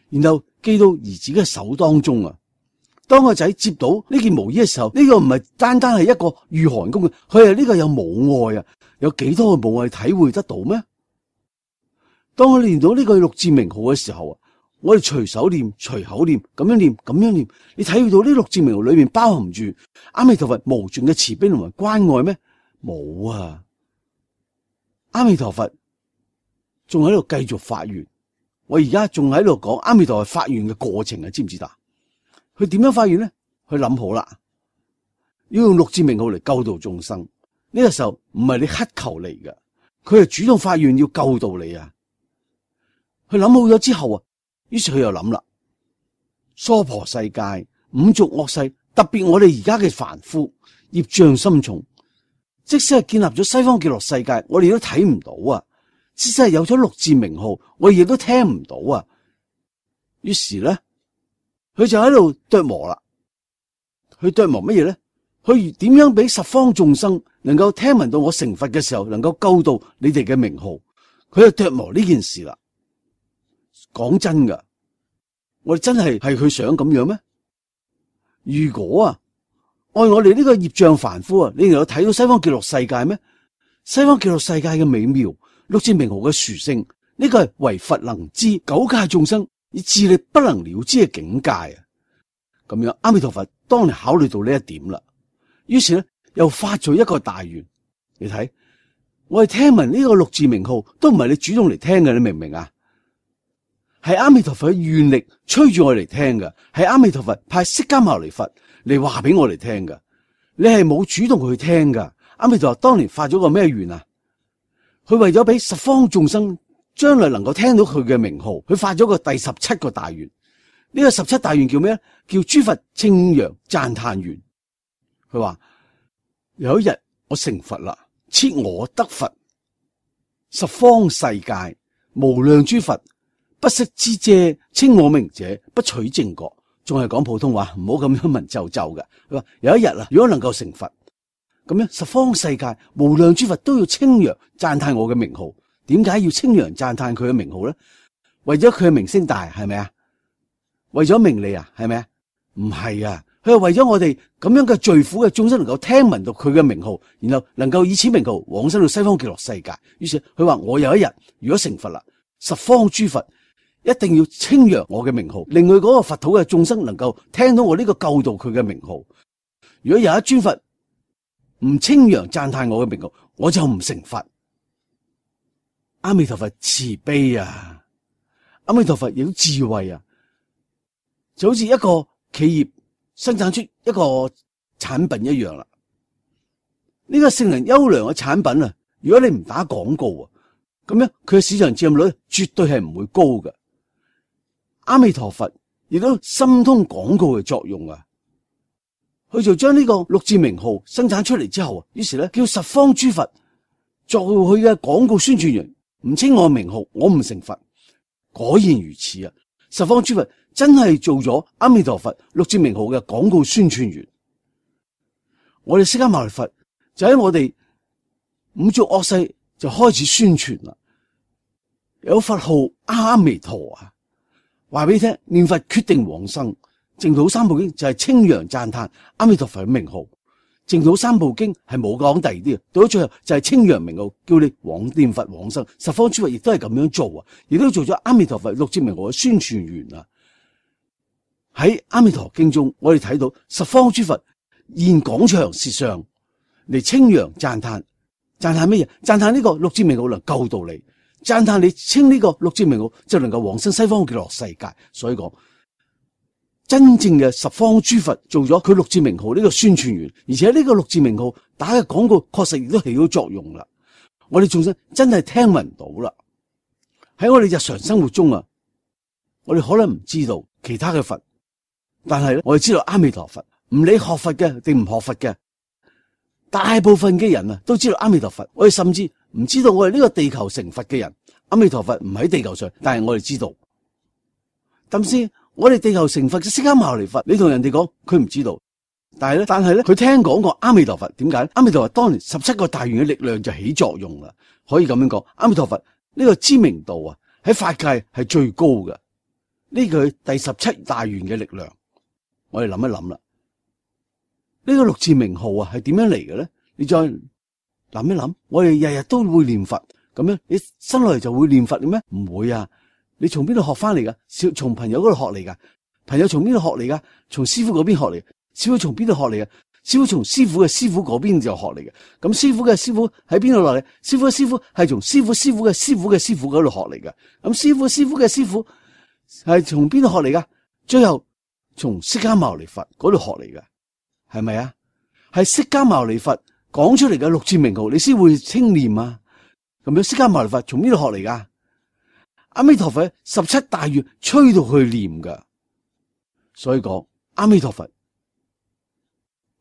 然後寄到兒子嘅手當中啊。當個仔接到呢件毛衣嘅時候，呢、這個唔係單單係一個御寒工嘅，佢係呢個有母愛啊！有幾多嘅母愛體會得到咩？當我念到呢個六字名號嘅時候啊，我哋隨手念、隨口念，咁樣念、咁樣念，你體會到呢六字名號裏面包含住阿彌陀佛無盡嘅慈悲同埋關愛咩？冇啊！阿彌陀佛仲喺度繼續發願，我而家仲喺度講阿彌陀佛發願嘅過程啊，知唔知道？佢點樣發願咧？佢諗好啦，要用六字名號嚟救度眾生。呢個時候唔係你乞求嚟嘅，佢係主動發願要救度你啊！佢諗好咗之後啊，於是佢又諗啦，娑婆世界、五濁惡世，特別我哋而家嘅凡夫業障深重，即使係建立咗西方極樂世界，我哋都睇唔到啊！即使係有咗六字名號，我哋亦都聽唔到啊！於是咧，佢就喺度琢磨啦。佢琢磨乜嘢咧？佢點樣俾十方眾生能夠聽聞到我成佛嘅時候，能夠救到你哋嘅名號？佢就琢磨呢件事啦。講真噶，我哋真係係佢想咁樣咩？如果啊，按我哋呢個業障凡夫啊，你能夠睇到西方極樂世界咩？西方極樂世界嘅美妙，六字名號嘅殊勝，呢個係唯佛能知，九界眾生以智力不能了知嘅境界啊！咁樣，阿彌陀佛當你考慮到呢一點啦，於是咧又發咗一個大願。你睇，我哋聽聞呢個六字名號都唔係你主動嚟聽嘅，你明唔明啊？係阿彌陀佛嘅願力催住我嚟聽嘅，係阿彌陀佛派釋迦牟尼佛嚟話俾我嚟聽嘅。你係冇主動去聽噶。阿彌陀佛當年發咗個咩願啊？佢為咗俾十方眾生將來能夠聽到佢嘅名號，佢發咗個第十七個大願。呢個十七大願叫咩？叫諸佛稱揚讚歎願。佢話有一日我成佛啦，設我得佛，十方世界無量諸佛不識之者，稱我名者，不取正覺。仲係講普通話，唔好咁樣文縐縐嘅。佢話有一日啊，如果能夠成佛，咁樣十方世界無量諸佛都要稱揚讚歎我嘅名號。點解要稱揚讚歎佢嘅名號咧？為咗佢嘅名聲大，係咪啊？為咗名利啊，係咪啊？唔係啊，佢係為咗我哋咁樣嘅罪苦嘅眾生能夠聽聞到佢嘅名號，然後能夠以此名號往生到西方極樂世界。於是佢話我有一日如果成佛啦，十方諸佛一定要稱揚我嘅名號，令佢嗰個佛土嘅眾生能夠聽到我呢個救度佢嘅名號。如果有一尊佛唔稱揚讚歎我嘅名號，我就唔成佛。阿彌陀佛慈悲啊，阿彌陀佛有智慧啊，就好似一個企業生產出一個產品一樣啦。呢個性能優良嘅產品啊，如果你唔打廣告啊，咁樣佢嘅市場佔有率絕對係唔會高嘅。阿彌陀佛亦都心通廣告嘅作用啊，佢就將呢個六字名號生產出嚟之後啊，於是咧叫十方諸佛作佢嘅廣告宣傳員，唔稱我名號，我唔成佛。果然如此啊！十方諸佛真係做咗阿彌陀佛六字名號嘅廣告宣傳員。我哋釋迦牟尼佛就喺我哋五濁惡世就開始宣傳啦，有佛號阿彌陀啊！話俾你聽，念佛決定往生。淨土三部經就係稱揚讚歎阿彌陀佛嘅名號。淨土三部經係冇講第二啲，到咗最後就係稱揚名號，叫你往念佛往生。十方諸佛亦都係咁樣做啊，亦都做咗阿彌陀佛六字名號嘅宣傳員啊。喺阿彌陀經中，我哋睇到十方諸佛現廣長舌上嚟稱揚讚歎，讚歎乜嘢？讚歎呢個六字名號能救到你。讚歎你稱呢個六字名號就能夠往生西方極樂世界，所以講真正嘅十方諸佛做咗佢六字名號呢個宣傳員，而且呢個六字名號打嘅廣告確實亦都起到作用啦。我哋眾生真係聽聞到啦。喺我哋日常生活中啊，我哋可能唔知道其他嘅佛，但係咧我哋知道阿彌陀佛。唔理學佛嘅定唔學佛嘅，大部分嘅人啊都知道阿彌陀佛。我哋甚至唔知道我哋呢個地球成佛嘅人，阿彌陀佛唔喺地球上，但係我哋知道。咁先，我哋地球成佛嘅釋迦牟尼佛，你同人哋講佢唔知道，但係咧，但係咧，佢聽講過阿彌陀佛。點解咧？阿彌陀佛當年十七個大願嘅力量就起作用啦，可以咁樣講。阿彌陀佛呢個知名度啊，喺法界係最高嘅。呢個第十七大願嘅力量，我哋諗一諗啦。呢個六字名號啊，係點樣嚟嘅咧？你再諗一諗，我哋日日都會念佛，咁樣你生落嚟就會念佛嘅咩？唔會啊！你從邊度學翻嚟噶？小從朋友嗰度學嚟噶，朋友從邊度學嚟噶？從師傅嗰邊學嚟，師傅從邊度學嚟嘅？師傅從師傅嘅師傅嗰邊就學嚟嘅。咁師傅嘅師傅喺邊度落嚟？師傅嘅師傅係從師傅師傅嘅師傅嘅師傅嗰度學嚟嘅。咁師傅師傅嘅師傅係從邊度學嚟噶？最後從釋迦牟尼佛嗰度學嚟嘅，係咪啊？係釋迦牟尼佛講出嚟嘅六字名號，你先會稱念啊。咁樣釋迦牟尼佛從邊度學嚟噶？阿彌陀佛十七大願吹到去念噶，所以講阿彌陀佛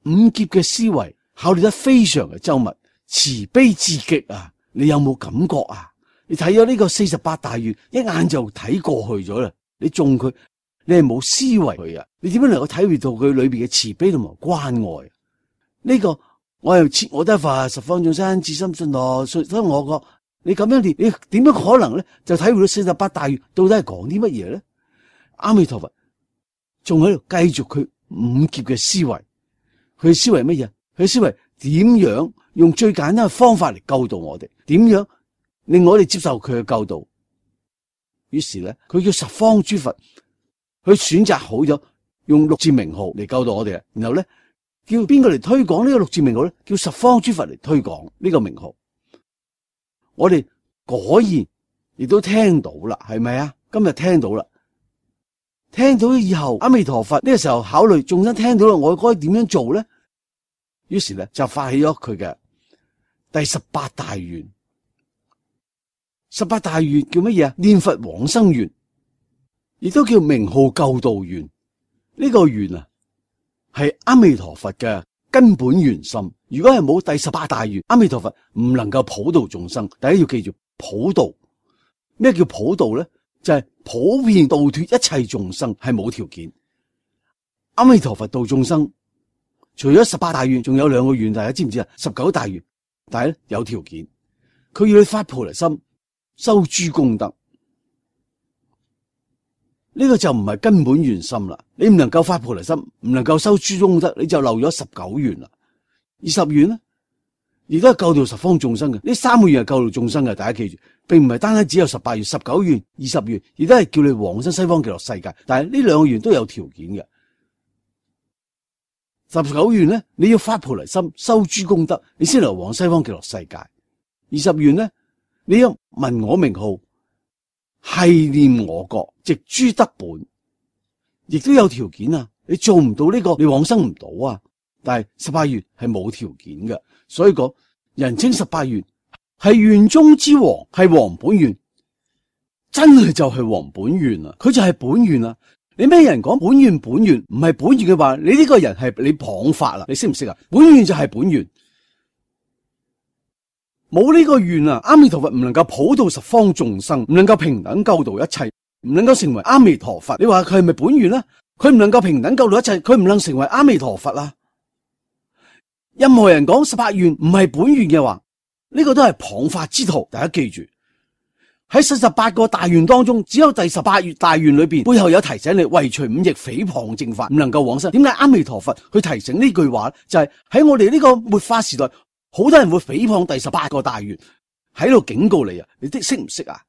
五劫嘅思維考慮得非常嘅周密，慈悲至極啊！你有冇感覺啊？你睇咗呢個四十八大願，一眼就睇過去咗啦。你中佢，你係冇思維佢啊！你點樣能夠體會到佢裏邊嘅慈悲同埋關愛？呢、這個我又切我得佛十方眾生至心信樂，所以我覺。你咁樣念，你點樣可能咧就體會到四十八大願到底係講啲乜嘢咧？阿彌陀佛仲喺度繼續佢五劫嘅思維，佢思維乜嘢？佢思維點樣用最簡單嘅方法嚟救度我哋？點樣令我哋接受佢嘅救度？於是咧，佢叫十方諸佛，佢選擇好咗用六字名號嚟救度我哋，然後咧叫邊個嚟推廣呢個六字名號咧？叫十方諸佛嚟推廣呢個名號。我哋果然亦都聽到啦，係咪啊？今日聽到啦，聽到以後，阿彌陀佛呢個時候考慮眾生聽到啦，我該點樣做咧？於是咧就發起咗佢嘅第十八大願。十八大願叫乜嘢啊？念佛往生願，亦都叫名號救度願。呢、這個願啊，係阿彌陀佛嘅根本原心。如果係冇第十八大願，阿彌陀佛唔能夠普度眾生。大家要記住普度，咩叫普度咧？就係、是、普遍度脫一切眾生，係冇條件。阿彌陀佛度眾生，除咗十八大願，仲有兩個願，大家知唔知啊？十九大願，但係咧有條件，佢要你發菩提心，修諸功德。呢、這個就唔係根本原心啦。你唔能夠發菩提心，唔能夠修諸功德，你就漏咗十九願啦。二十願呢，亦都係救度十方眾生嘅。呢三個願係救度眾生嘅，大家記住，並唔係單單只有十八願、十九願、二十願，亦都係叫你往生西方極樂世界。但係呢兩個願都有條件嘅。十九願呢，你要發菩提心，修諸功德，你先能往西方極樂世界。二十願呢，你要聞我名號，繫念我國，植諸德本，亦都有條件啊！你做唔到呢個，你往生唔到啊！但係十八願係冇條件嘅，所以講人稱十八願係願中之王，係王本願，真係就係王本願啊！佢就係本願啊！你咩人講本願本願唔係本願嘅話，你呢個人係你謗法啦！你識唔識啊？本願就係本願，冇呢個願啊！阿彌陀佛唔能夠普度十方眾生，唔能夠平等救度一切，唔能夠成為阿彌陀佛。你話佢係咪本願啊？佢唔能夠平等救度一切，佢唔能成為阿彌陀佛啊！任何人講十八願唔係本願嘅話，呢、這個都係謗法之徒。大家記住，喺四十八個大願當中，只有第十八願大願裏邊背後有提醒你為除五逆誹謗正法，唔能夠往生。點解阿彌陀佛去提醒呢句話？就係、是、喺我哋呢個末法時代，好多人會誹謗第十八個大願，喺度警告你啊！你啲識唔識啊？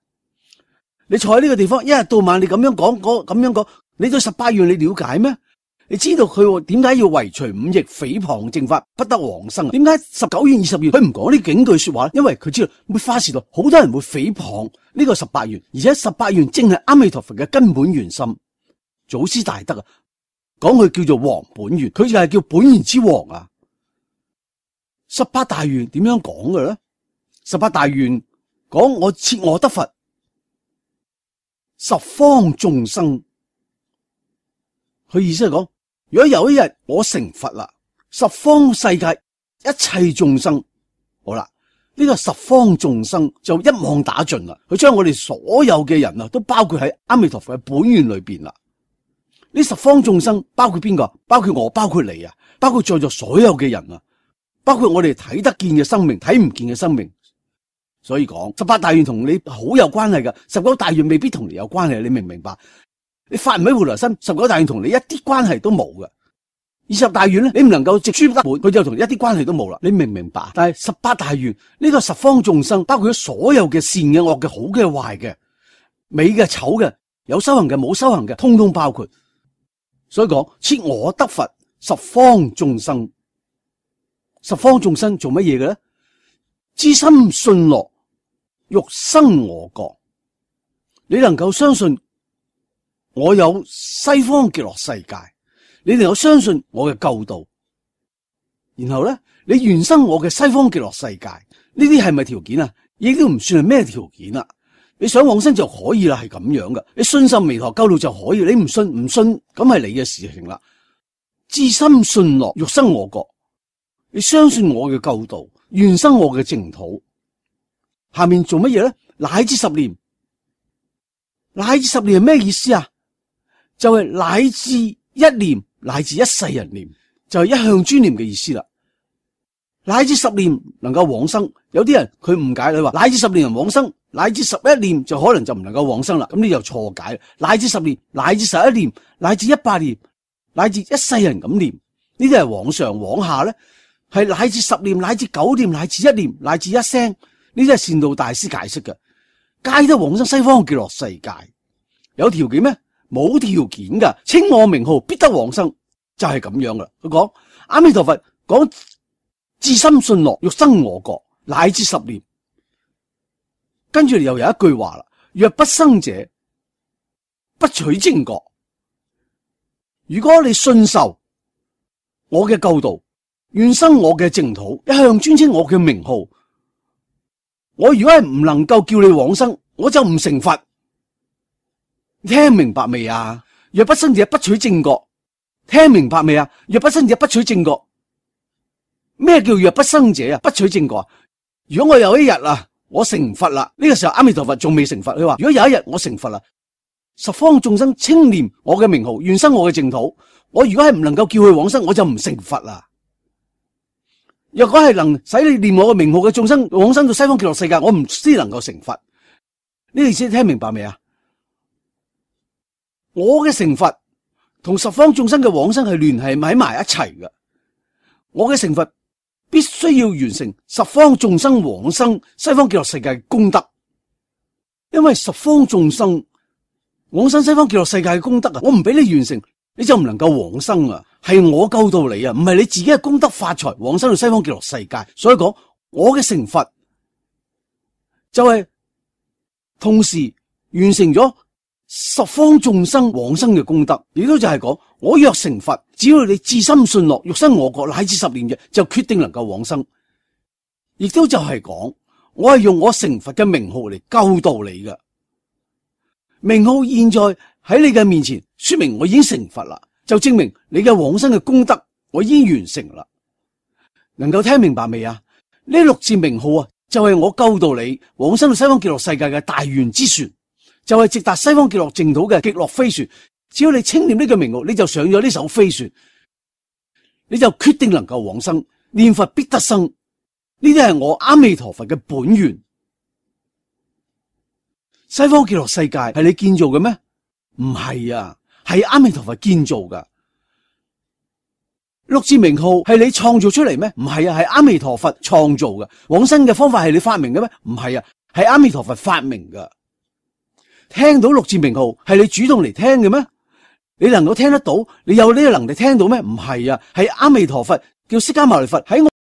你坐喺呢個地方，一日到晚你咁樣講，咁樣講，你對十八願你了解咩？你知道佢點解要遺除五逆誹謗正法不得往生？點解十九願二十願佢唔講呢警句說話？因為佢知道末法時代好多人會誹謗呢個十八願，而且十八願正係阿彌陀佛嘅根本原心。祖師大德啊，講佢叫做王本願，佢就係叫本願之王啊。十八大願點樣講嘅咧？十八大願講我設我得佛，十方眾生。佢意思係講，如果有一日我成佛啦，十方世界一切眾生，好啦，呢個十方眾生就一網打盡啦。佢將我哋所有嘅人啊，都包括喺阿彌陀佛嘅本願裏邊啦。呢十方眾生包括邊個？包括我，包括你啊，包括在座所有嘅人啊，包括我哋睇得見嘅生命，睇唔見嘅生命。所以講十八大願同你好有關係㗎，十九大願未必同你有關係，你明唔明白？你發唔起回來心，十九大願同你一啲關係都冇㗎。二十大願咧，你唔能夠直書得滿，佢就同你一啲關係都冇啦。你明唔明白？但係十八大願呢個十方眾生，包括咗所有嘅善嘅、惡嘅、好嘅、壞嘅、美嘅、醜嘅、有修行嘅、冇修行嘅，通通包括。所以講設我得佛，十方眾生，十方眾生做乜嘢嘅咧？知心信樂，欲生我國。你能夠相信我有西方極樂世界，你能夠相信我嘅救度，然後咧，你願生我嘅西方極樂世界，呢啲係咪條件啊？亦都唔算係咩條件啊？你想往生就可以啦，係咁樣噶。你信心彌陀救度就可以，你唔信唔信，咁係你嘅事情啦。知心信樂，欲生我國。你相信我嘅救度，願生我嘅淨土。下面做乜嘢咧？乃至十念，乃至十念係咩意思啊？就係、是、乃至一念，乃至一世人念，就係、是、一向專念嘅意思啦。乃至十念能夠往生，有啲人佢誤解，你話乃至十念人往生，乃至十一念就可能就唔能夠往生啦。咁你就錯解。乃至十念，乃至十一念，乃至一百念，乃至一世人咁念，呢啲係往上往下咧，係乃至十念，乃至九念，乃至一念，乃至一聲，呢啲係善導大師解釋嘅，皆得往生西方極樂世界。有條件咩？冇條件噶，稱我名號必得往生，就係咁樣噶啦。佢講阿彌陀佛講至心信樂，欲生我國，乃至十念。跟住又有一句話啦：若不生者，不取正覺。如果你信受我嘅救度，願生我嘅淨土，一向尊稱我嘅名號，我如果係唔能夠叫你往生，我就唔成佛。聽明白未啊？若不生者，不取正覺。聽明白未啊？若不生者，不取正覺。咩叫若不生者啊？不取正覺啊？如果我有一日啊，我成佛啦，呢個時候阿彌陀佛仲未成佛，佢話如果有一日我成佛啦，十方眾生稱念我嘅名號，願生我嘅淨土，我如果係唔能夠叫佢往生，我就唔成佛啦。若果係能使你念我嘅名號嘅眾生往生到西方極樂世界，我唔知能夠成佛。呢個意思聽明白未啊？我嘅成佛同十方眾生嘅往生係聯繫喺埋一齊嘅。我嘅成佛必須要完成十方眾生往生西方極樂世界嘅功德，因為十方眾生往生西方極樂世界嘅功德啊，我唔俾你完成，你就唔能夠往生啊！係我救到你啊，唔係你自己嘅功德發財往生到西方極樂世界。所以講我嘅成佛就係同時完成咗十方眾生往生嘅功德，亦都就係講我若成佛，只要你至心信樂，欲生我國，乃至十念嘅，就決定能夠往生。亦都就係講我係用我成佛嘅名號嚟救度你嘅名號，現在喺你嘅面前說明我已經成佛啦，就證明你嘅往生嘅功德我已經完成啦。能夠聽明白未啊？呢六字名號啊，就係我救度你往生到西方極樂世界嘅大願之船，就係直達西方極樂淨土嘅極樂飛船。只要你稱念呢個名號，你就上咗呢艘飛船，你就決定能夠往生。念佛必得生，呢啲係我阿彌陀佛嘅本願。西方極樂世界係你建造嘅咩？唔係啊，係阿彌陀佛建造噶。六字名號係你創造出嚟咩？唔係啊，係阿彌陀佛創造嘅。往生嘅方法係你發明嘅咩？唔係啊，係阿彌陀佛發明噶。聽到六字名號係你主動嚟聽嘅咩？你能夠聽得到？你有呢個能力聽到咩？唔係啊，係阿彌陀佛叫釋迦牟尼佛喺我